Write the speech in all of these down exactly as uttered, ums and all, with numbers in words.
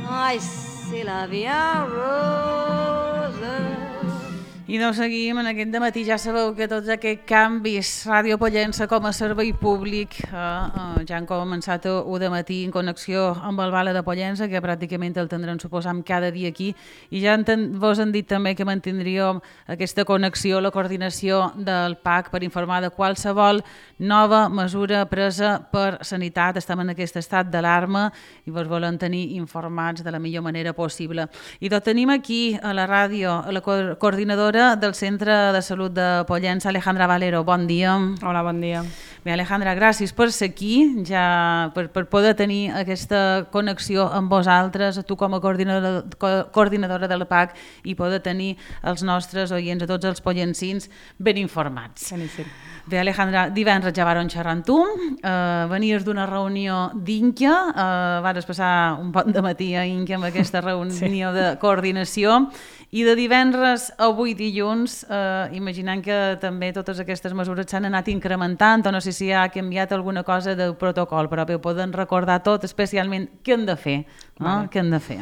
Ai, c'est la vie en rose. I doncs seguim en aquest dematí. Ja sabeu que tots aquests canvis, Ràdio Pollença com a servei públic, eh, eh, ja han començat un dematí en connexió amb el Vale de Pollença, que pràcticament el tindrem, suposam, cada dia aquí. I ja enten, vos han dit també que mantindríem aquesta connexió, la coordinació del P A C per informar de qualsevol nova mesura presa per sanitat. Estem en aquest estat d'alarma i vos volem tenir informats de la millor manera possible. I tot tenim aquí a la ràdio, a la co coordinadora del Centre de Salut de Pollença, Alejandra Valero. Bon dia. Hola, bon dia. Bé, Alejandra, gràcies per ser aquí, ja per, per poder tenir aquesta connexió amb vosaltres, tu com a coordinadora, co coordinadora del P A C, i poder tenir els nostres oients, a tots els pollencins, ben informats. Beníssim. Bé, Alejandra, divendres ja varen xerrar amb tu, eh, venies d'una reunió d'Inca, eh, vares passar un bon dematí a Inca amb aquesta reunió sí. de coordinació, i de divendres a avui dilluns, eh, imaginant que també totes aquestes mesures s'han anat incrementant, o no sé si ha canviat alguna cosa del protocol, però bé, ho poden recordar tot, especialment què hem de fer, no? Vale. Què hem de fer?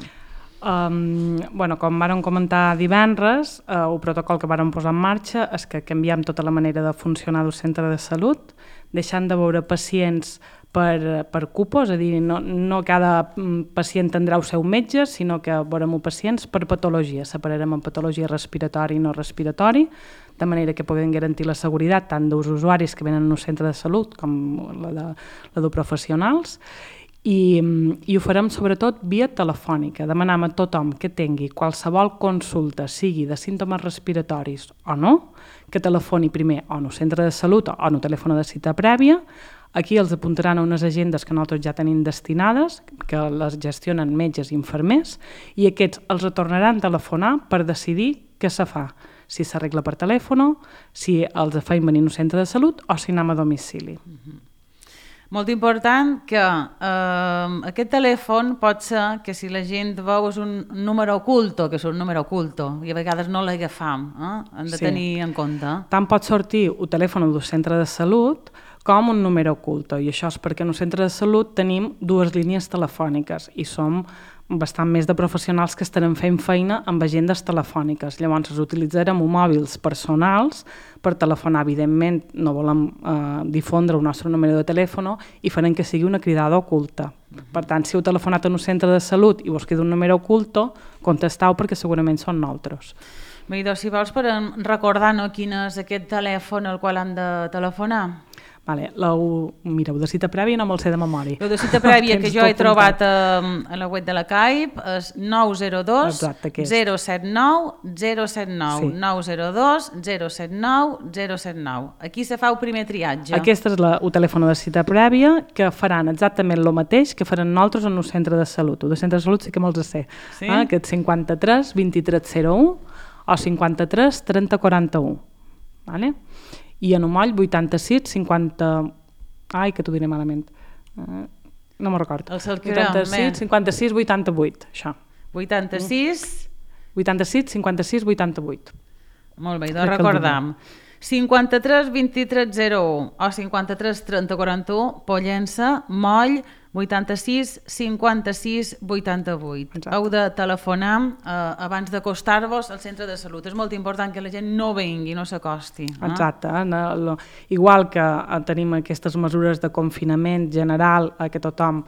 Um, bueno, com vàrem comentar divendres, uh, el protocol que vàrem posar en marxa és que canviem tota la manera de funcionar del centre de salut, deixant de veure pacients per, per cupos, és a dir, no, no cada pacient tindrà el seu metge, sinó que veurem pacients per patologia. Separarem en patologia respiratori i no respiratori, de manera que puguem garantir la seguretat tant dels usuaris que venen al centre de salut com la de, la de professionals, I, i ho farem sobretot via telefònica. Demanem a tothom que tingui qualsevol consulta, sigui de símptomes respiratoris o no, que telefoni primer o en el centre de salut o en el telèfon de cita prèvia. Aquí els apuntaran a unes agendes que nosaltres ja tenim destinades, que les gestionen metges i infermers, i aquests els retornaran a telefonar per decidir què se fa, si s'arregla per telèfon, si els feim venir al centre de salut o si anem a domicili. Mm-hmm. Molt important que eh, aquest telèfon pot ser que si la gent veu és un número oculto, que és un número oculto, i a vegades no l'agafam, eh? Hem de sí. tenir en compte. Tant pot sortir el telèfon del centre de salut com un número oculto, i això és perquè en el centre de salut tenim dues línies telefòniques i som bastant més de professionals que estarem fent feina amb agendes telefòniques. Llavors, utilitzarem mòbils personals per telefonar. Evidentment, no volem eh, difondre el nostre número de telèfon i farem que sigui una cridada oculta. Per tant, si heu telefonat en un centre de salut i vos queda un número oculto, contesteu perquè segurament són nosaltres. Bé, doncs, si vols, per recordar no, quin és aquest telèfon al qual han de telefonar. Vale, la, mireu, de cita prèvia no me'l sé de memòria. El de cita prèvia que jo he trobat a, a la web de la C A I P és nou zero dos zero set nou zero set nou, sí. nou zero dos zero set nou zero set nou. Aquí se fa el primer triatge. Aquest és la, el telèfon de cita prèvia, que faran exactament el mateix que faran nosaltres en el centre de salut. El de centre de salut sí que me'ls sé, sí? eh? Que és cinquanta-tres vint-i-tres zero u o cinquanta-tres trenta quaranta-u. Vale? I en un moll vuitanta-sis cinquanta... Ai, que t'ho diré malament. Uh, no me'n recordo. El vuitanta-sis cinquanta-sis vuitanta-vuit, això. vuitanta-sis... vuitanta-sis cinquanta-sis vuitanta-vuit. Molt bé, doncs recordam. cinquanta-tres vint-i-tres zero u o cinquanta-tres trenta quaranta-u, Pollença, moll vuitanta-sis cinquanta-sis vuitanta-vuit. Exacte. Heu de telefonar eh, abans d'acostar-vos al centre de salut. És molt important que la gent no vengui, no s'acosti. Eh? Exacte. No, lo, igual que eh, tenim aquestes mesures de confinament general eh, que tothom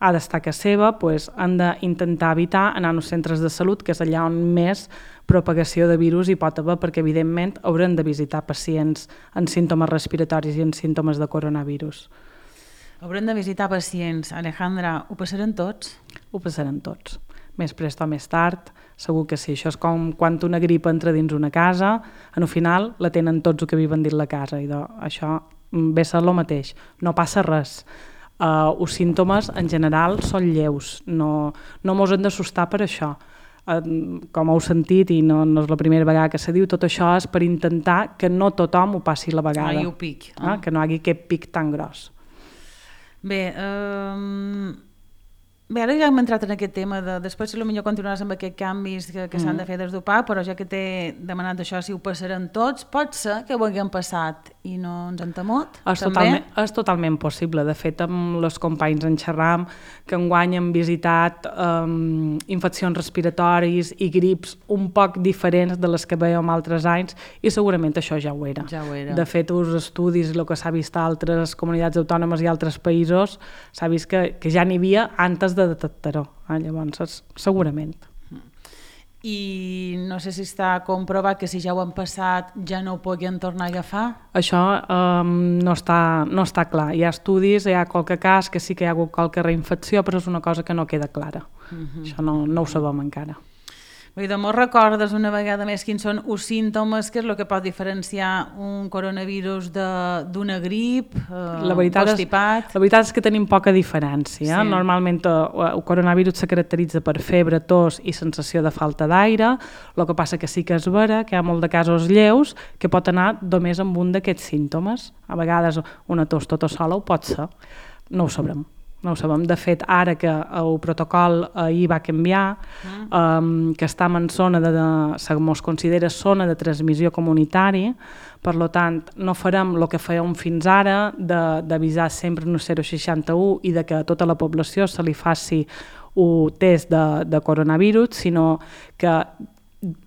ha d'estar a casa seva, pues, han d'intentar evitar anar als centres de salut, que és allà on més propagació de virus hi pot haver, perquè evidentment haurem de visitar pacients amb símptomes respiratoris i amb símptomes de coronavirus. Haurem de visitar pacients. Alejandra, ho passaran tots? Ho passaran tots. Més prest o més tard, segur que sí. Això és com quan una gripa entra dins una casa, en el final la tenen tots els que viuen dins la casa, i de, això ve a ser el mateix. No passa res. Uh, els símptomes en general són lleus, no, no mos hem d'assustar per això. Uh, com heu sentit, i no, no és la primera vegada que se diu, tot això és per intentar que no tothom ho passi la vegada. No hi ha pic. Eh? Uh, que no hi hagi aquest pic tan gros. Bé, um, bé, ara ja hem entrat en aquest tema, de, després potser continuaràs amb aquests canvis que, que mm. s'han de fer des d'U P A C, però ja que t'he demanat això, si ho passaran tots, pot ser que ho haguem passat i no ens han temut, és també? Totalment, és totalment possible. De fet, amb els companys en xerram que enguany han visitat um, infeccions respiratòries i grips un poc diferents de les que veiem altres anys i segurament això ja ho era. Ja ho era. De fet, els estudis i el que s'ha vist a altres comunitats autònomes i altres països s'ha vist que, que ja n'hi havia antes de detectar-ho. Eh? Llavors, segurament. I no sé si està comprovat que si ja ho han passat ja no ho puguin tornar a agafar? Això um, no, està, no està clar. Hi ha estudis, hi ha qualque cas que sí que hi ha hagut qualque reinfecció, però és una cosa que no queda clara. Uh-huh. Això no, no ho sabem encara. Vull dir, mos recordes una vegada més quins són els símptomes, què és el que pot diferenciar un coronavirus d'una grip, eh, la veritat constipat? És, la veritat és que tenim poca diferència. Sí. Normalment eh, el coronavirus se caracteritza per febre, tos i sensació de falta d'aire, el que passa que sí que és vera que hi ha molt de casos lleus que pot anar només amb un d'aquests símptomes. A vegades una tos tota sola ho pot ser, no ho sabrem. No ho sabem. De fet, ara que el protocol ahir va canviar, mm. um, que estem en zona de, de, es considera zona de transmissió comunitària, per tant, no farem el que fèiem fins ara, d'avisar sempre en el zero seixanta u i de que a tota la població se li faci un test de, de coronavirus, sinó que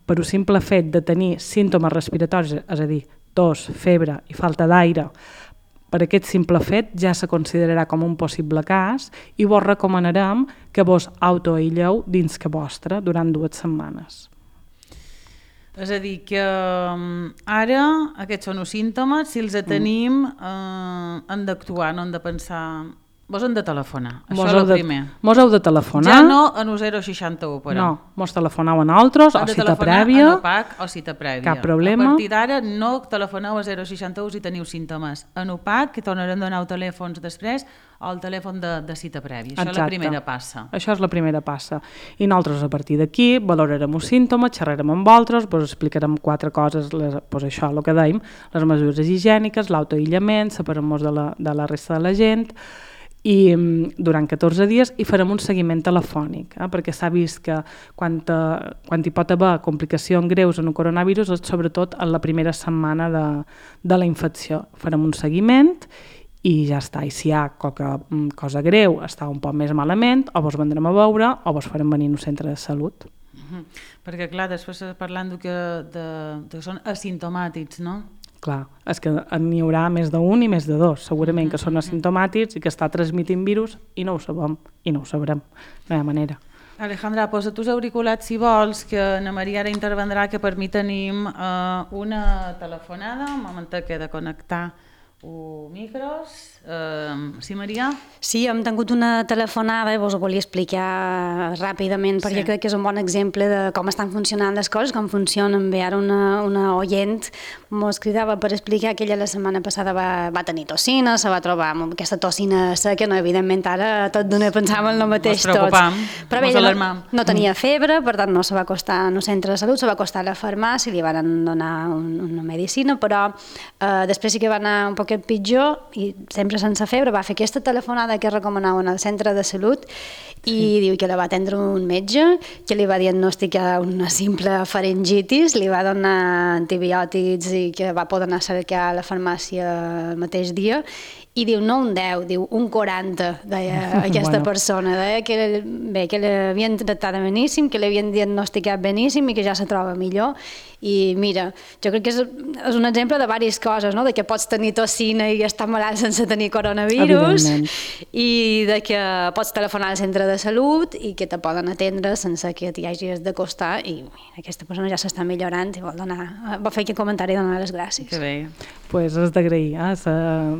per un simple fet de tenir símptomes respiratoris, és a dir, tos, febre i falta d'aire, per aquest simple fet ja se considerarà com un possible cas i vos recomanarem que vos autoaïlleu dins que vostre durant dues setmanes. És a dir, que ara aquests són els símptomes, si els tenim eh, hem d'actuar, no hem de pensar... Vos hem de telefonar, això és el primer. Mos heu de telefonar. Ja no en el zero seixanta u, però. No, mos telefoneu a nosaltres, o cita prèvia. En O P A C o cita prèvia. Cap problema. A partir d'ara no telefoneu a zero seixanta u si teniu símptomes. En O P A C, que tornarem a donar telèfons després, o el telèfon de, de cita prèvia. Això Exacte. És la primera passa. Això és la primera passa. I nosaltres a partir d'aquí valorarem els símptomes, xerrarem amb vosaltres, vos explicarem quatre coses, les, pues això, el que dèiem, les mesures higièniques, l'autoaïllament, separem-nos de, la, de la resta de la gent, i durant catorze dies i farem un seguiment telefònic, eh? Perquè s'ha vist que quan, te, quan hi pot haver complicacions greus en un coronavirus és sobretot en la primera setmana de, de la infecció. Farem un seguiment i ja està. I si hi ha qualque cosa greu, està un poc més malament, o vos vendrem a veure o vos farem venir a un centre de salut. Uh-huh. Perquè clar, després parlant de que, de, de que són asimptomàtics, no? Clar, és que n'hi haurà més d'un i més de dos, segurament que són asimptomàtics i que està transmitint virus i no ho sabem, i no ho sabrem, no hi ha manera. Alejandra, posa tus auriculats si vols, que na Maria ara intervendrà, que per mi tenim eh, una telefonada, un moment que he de connectar els micros. Uh, sí, Maria? Sí, hem tingut una telefonada i vos ho volia explicar ràpidament perquè sí. Crec que és un bon exemple de com estan funcionant les coses, com funcionen bé. Ara una, una oient mos cridava per explicar que ella la setmana passada va, va tenir tossina, se va trobar amb aquesta tossina seca, no, evidentment ara tot d'una pensàvem el mateix tots. Mos preocupam, però bé, no, no tenia febre, per tant no se va acostar en el centre de salut, se va acostar a la farmàcia, li van donar un, una medicina, però eh, després sí que va anar un poquet pitjor i sempre sense febre, va fer aquesta telefonada que recomanaven al centre de salut i sí. Diu que la va atendre un metge, que li va diagnosticar una simple faringitis, li va donar antibiòtics i que va poder anar a cercar a la farmàcia el mateix dia i diu no un deu, diu un quaranta, deia aquesta bueno. persona, deia que, bé, que l'havien tractat beníssim, que l'havien diagnosticat beníssim i que ja se troba millor. I mira, jo crec que és, és un exemple de diverses coses, no? De que pots tenir tossina i estar malalt sense tenir coronavirus i de que pots telefonar al centre de salut i que te poden atendre sense que t'hi hagis d'acostar i mira, aquesta persona ja s'està millorant i vol, donar, vol fer aquest comentari i donar les gràcies. Que bé. Pues és d'agrair, eh?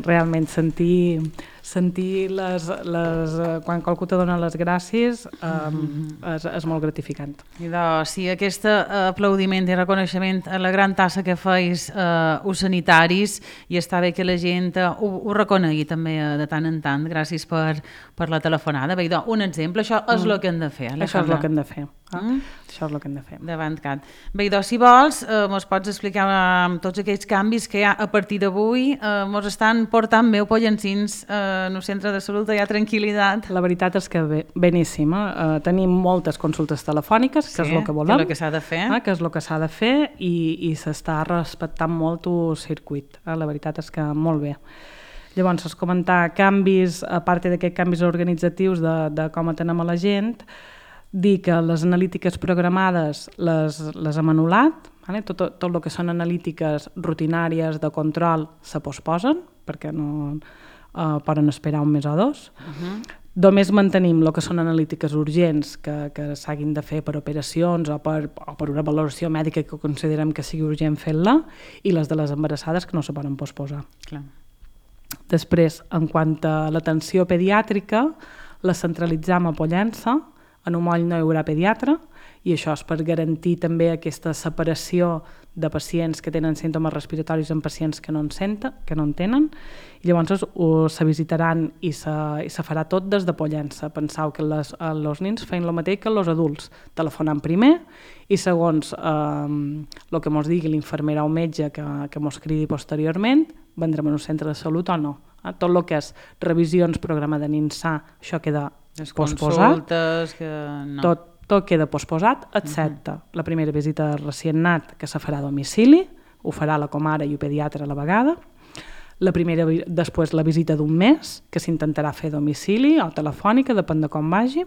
Realment sentir, sentir les, les, quan qualcú te dona les gràcies um, és, és molt gratificant. I doncs, sí, aquest aplaudiment i reconeixement a la gran tasca que feis eh, us sanitaris i està bé que la gent eh, ho, ho reconegui també eh, de tant en tant. Gràcies per, per la telefonada. Bé, doncs, un exemple, això és el que hem de fer. Això és el que hem de fer. Eh? Mm. Això és el que hem de fer. Davant cat. Bé, doncs, si vols, eh, mos pots explicar eh, tots aquells canvis que hi ha a partir d'avui, eh, mos estan portant meu pollensins eh, en el centre de salut, hi ha tranquil·litat. La veritat és que bé, beníssima. Eh, tenim moltes consultes telefòniques, que sí, és el que volem. Que és el que s'ha de fer. Eh, que és el que s'ha de fer i, i s'està respectant molt el circuit. Eh? La veritat és que molt bé. Llavors, es comentar canvis, a part d'aquests canvis organitzatius de, de com atenem a la gent, dir que les analítiques programades les, les hem anul·lat, vale? tot, tot el que són analítiques rutinàries de control se posposen, perquè no eh, poden esperar un mes o dos. Uh-huh. Només mantenim el que són analítiques urgents que, que s'hagin de fer per operacions o per, o per una valoració mèdica que considerem que sigui urgent fer-la, i les de les embarassades que no se poden posposar. Clar. Després, en quant a l'atenció pediàtrica, la centralitzam a Pollença, en un moll no hi haurà pediatre, i això és per garantir també aquesta separació de pacients que tenen símptomes respiratoris en pacients que no en senten, que no en tenen, i llavors uh, se visitaran i se, i se farà tot des de Pollença. Pensau que les, els nens feien el mateix que els adults, telefonant primer, i segons eh, el que mos digui l'infermera o metge que, que mos cridi posteriorment, vendrem en un centre de salut o no. Eh? Tot el que és revisions, programa de NINSA, això queda les posposat. Consultes, que no. Tot, tot queda posposat, excepte uh-huh. la primera visita de recient nat, que se farà a domicili, ho farà la comare i el pediatre a la vegada. La primera, després la visita d'un mes, que s'intentarà fer a domicili o telefònica, depèn de com vagi.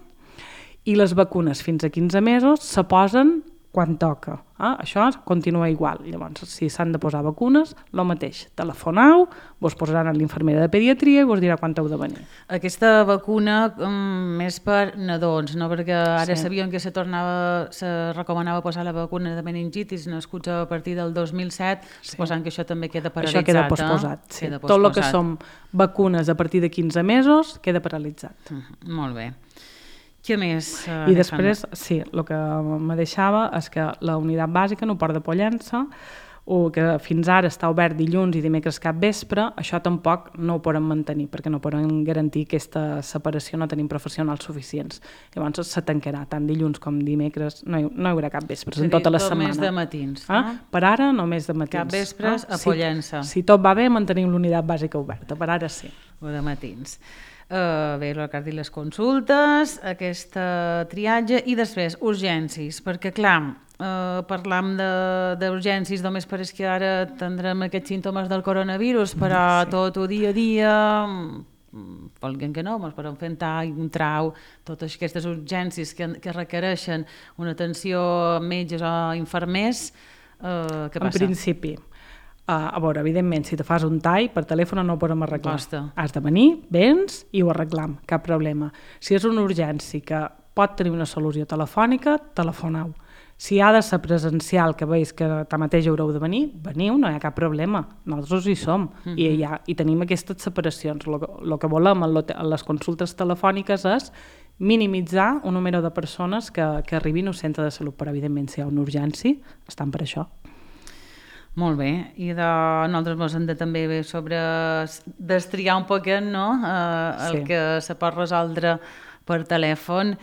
I les vacunes fins a quinze mesos se posen quan toca. Eh? Això continua igual. Llavors, si s'han de posar vacunes, el mateix. Telefonau, vos posaran a l'infermera de pediatria i vos dirà quan heu de venir. Aquesta vacuna um, més per nadons, no? Perquè ara sí. sabíem que se tornava, se recomanava posar la vacuna de meningitis nascuts a partir del dos mil set, sí. suposant que això també queda paralitzat. Això queda posposat, eh? sí. Queda posposat. Tot el que són vacunes a partir de quinze mesos queda paralitzat. Uh, molt bé. Què més? Uh, I després, sí, el que me deixava és que la unitat bàsica, no Port de Pollença, o que fins ara està obert dilluns i dimecres cap vespre, això tampoc no ho podem mantenir, perquè no podem garantir aquesta separació, no tenim professionals suficients. Llavors se tancarà, tant dilluns com dimecres, no hi, no hi haurà cap vespres, en tota la setmana. Només de matins, no? Ah? Per ara, només de matins. Cap vespres ah? a Pollença. Si, si tot va bé, mantenim l'unitat bàsica oberta, per ara sí. O de matins. Uh, bé, el que has dit, les consultes, aquesta triatge i després urgències, perquè clar, uh, parlam d'urgències només perquè que ara tindrem aquests símptomes del coronavirus, però sí. tot el dia a dia, volguem que no, ens podem fer un tall, un trau, totes aquestes urgències que, que requereixen una atenció a metges o infermers, uh, què passa? En principi, Uh, a veure, evidentment, si te fas un tall, per telèfon no ho podem arreglar. Costa. Has de venir, vens i ho arreglam, cap problema. Si és una urgència que pot tenir una solució telefònica, telefoneu. Si ha de ser presencial, que veus que tanmateix haureu de venir, veniu, no hi ha cap problema. Nosaltres hi som uh-huh. i, ja, i tenim aquestes separacions. El que volem en les consultes telefòniques és minimitzar un número de persones que, que arribin al centre de salut, però evidentment si hi ha una urgència, estan per això. Molt bé, i de, nosaltres ens hem de també bé sobre destriar un poquet, no? Eh, el sí. que se pot resoldre per telèfon.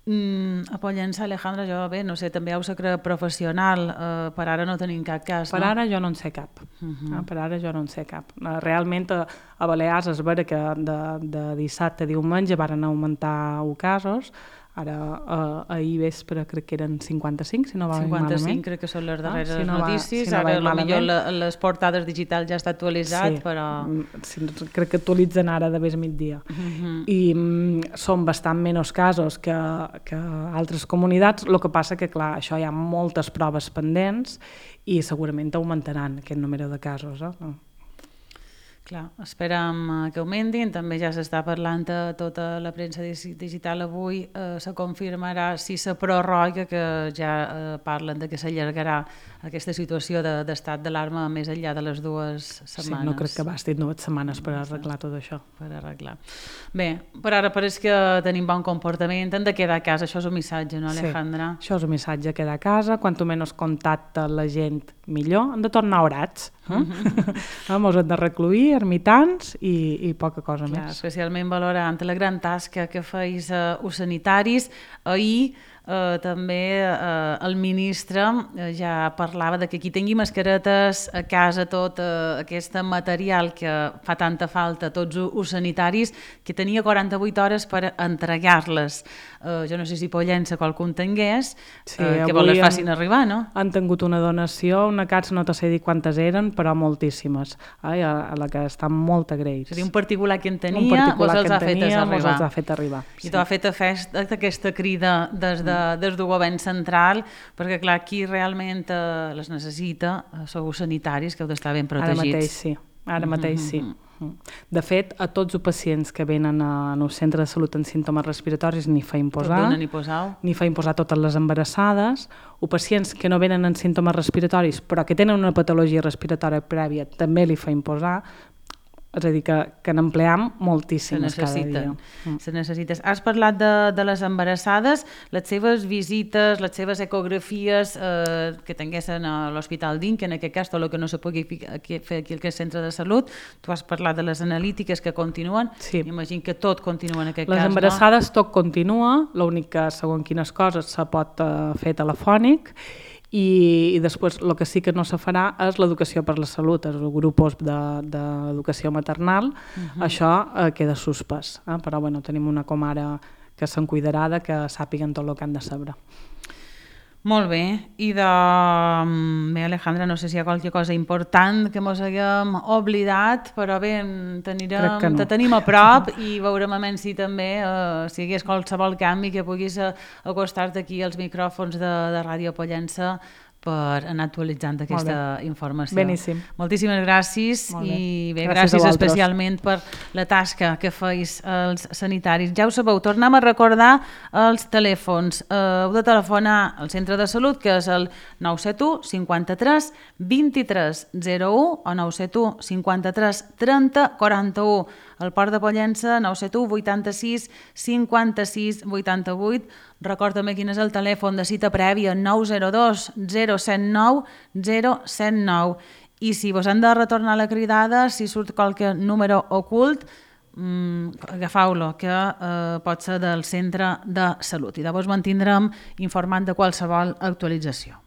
Mm, a Pollença, Alejandra, jo bé, no sé, també heu secret professional, eh, per ara no tenim cap cas, per no? Per ara jo no en sé cap, uh-huh. eh, per ara jo no en sé cap. Realment a, a Balears és vera que de, de dissabte a diumenge van augmentar casos, ara eh, ahir vespre crec que eren cinquanta-cinc, si no va cinquanta-cinc malament. Crec que són les darreres ah, si no notícies, va, si no ara potser la, les portades digitals ja està actualitzat, sí, però... Sí, crec que actualitzen ara de vés migdia. Uh-huh. I mm, són bastant menys casos que, que altres comunitats, el que passa que, clar, això hi ha moltes proves pendents i segurament augmentaran aquest número de casos, eh? Clar, esperem que augmentin, també ja s'està parlant a tota la premsa digital avui, eh, se confirmarà si se prorroga, que ja eh, parlen de que s'allargarà aquesta situació de, d'estat d'alarma més enllà de les dues setmanes. Sí, no crec que bastin dues setmanes per arreglar tot això. Per arreglar. Bé, per ara pareix que tenim bon comportament, hem de quedar a casa, això és un missatge, no, Alejandra? Sí, això és un missatge, quedar a casa, quanto menys contacte la gent millor, hem de tornar orats, eh? Mm-hmm. Ens hem de recluir, ermitans i, i poca cosa Clar, més. especialment valorant la gran tasca que feis eh, us sanitaris. Ahir eh, també eh, el ministre eh, ja parlava de que qui tingui mascaretes a casa, tot eh, aquest material que fa tanta falta a tots us sanitaris, que tenia quaranta-vuit hores per entregar-les. Eh, jo no sé si Pollença qualcú en tingués, Sí, eh, que vol les facin han, arribar, no? Han tingut una donació, una casa no te sé dir quantes eren, però moltíssimes, ai, a, a la que estan molt agraïts. És a dir, un particular que en un tenia, particular vos els que ha en fet tenia, arribar. mos els ha fet arribar. I t'ho ha fet a fest aquesta crida des, de, des del govern central, perquè clar, qui realment eh, les necessita eh, sou sanitaris, que heu d'estar ben protegits. Ara mateix sí, ara mateix sí. De fet, a tots els pacients que venen a, en un centre de salut amb símptomes respiratoris ni fa imposar, ni posau. ni fa imposar totes les embarassades, o pacients que no venen amb símptomes respiratoris però que tenen una patologia respiratòria prèvia també li fa imposar. És a dir, que, que n'empleam moltíssimes cada dia. Mm. Se necessites. Has parlat de, de les embarassades, les seves visites, les seves ecografies eh, que tinguessin a l'Hospital d'In, que en aquest cas tot el que no se pugui fer aquí al centre de salut. Tu has parlat de les analítiques que continuen. Sí. Imagino que tot continua en aquest les cas, embarassades no? Tot continua, l'únic que segons quines coses se pot eh, fer telefònic. I, i després el que sí que no se farà és l'educació per la salut, els grups d'educació de, maternal, uh-huh. Això eh, queda suspès, eh? Però bueno, tenim una comare que se'n cuidarà de que sàpiguen tot el que han de saber. Molt bé, i de... Bé, Alejandra, no sé si hi ha qualque cosa important que mos haguem oblidat, però bé, tenirem, no. te tenim a prop i veurem a menys si també, eh, si hi hagués qualsevol canvi que puguis acostar-te aquí als micròfons de, de Ràdio Pollença per anar actualitzant aquesta informació. Beníssim. Moltíssimes gràcies bé. I bé, gràcies, gràcies especialment per la tasca que feis els sanitaris. Ja ho sabeu, tornem a recordar els telèfons. Uh, heu de telefonar al centre de salut, que és el nou set u cinquanta-tres vint-i-tres zero u o nou set u cinquanta-tres trenta quaranta-u. El Port de Pollença, nou set u vuitanta-sis cinquanta-sis vuitanta-vuit. Record també quin és el telèfon de cita prèvia, nou zero dos zero set nou zero set nou. I si vos han de retornar la cridada, si surt qualque número ocult, mmm, agafeu-lo, que eh, pot ser del centre de salut. I llavors mantindrem informant de qualsevol actualització.